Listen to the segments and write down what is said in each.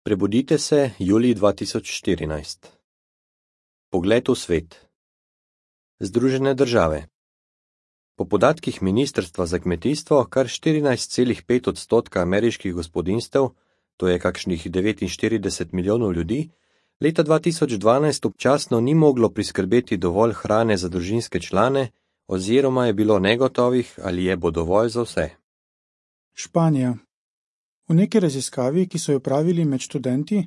Prebudite se, julij 2014. Pogled v svet. Združene države. Po podatkih Ministrstva za kmetijstvo kar 14,5% ameriških gospodinjstev, to je kakšnih 49 milijonov ljudi, leta 2012 občasno ni moglo priskrbeti dovolj hrane za družinske člane oziroma je bilo negotovih, ali je bo dovolj za vse. Španija. V neki raziskavi, ki so jo pravili med študenti,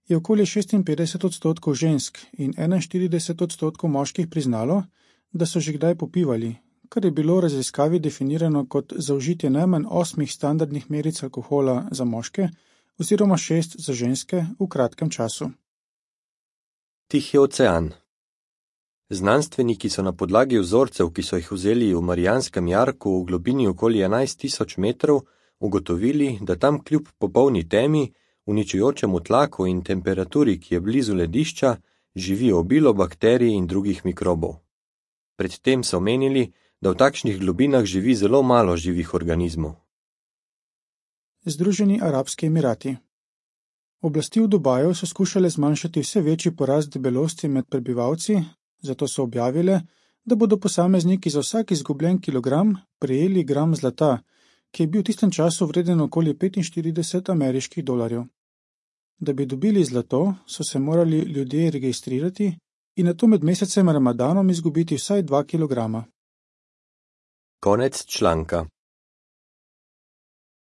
je okoli 56% žensk in 41% moških priznalo, da so že kdaj popivali, kar je bilo v raziskavi definirano kot zaužitje najmanj 8 standardnih meric alkohola za moške oziroma 6 za ženske v kratkem času. Tihi ocean. Znanstveniki so na podlagi vzorcev, ki so jih vzeli v Marijanskem jarku v globini okoli 11.000 metrov, ugotovili, da tam kljub popolni temi, uničujočemu tlaku in temperaturi, ki je blizu ledišča, živi obilo bakterij in drugih mikrobov. Predtem so menili, da v takšnih globinah živi zelo malo živih organizmov. Združeni arabski emirati. Oblasti v Dubaju so skušale zmanjšati vse večji porast debelosti med prebivalci, zato so objavile, da bodo posamezniki za vsak izgubljen kilogram prejeli gram zlata, ki je bil v tistem času vreden okoli 45 ameriških dolarjev. Da bi dobili zlato, so se morali ljudje registrirati in nato med mesecem Ramadanom izgubiti vsaj 2 kilograma. Konec članka.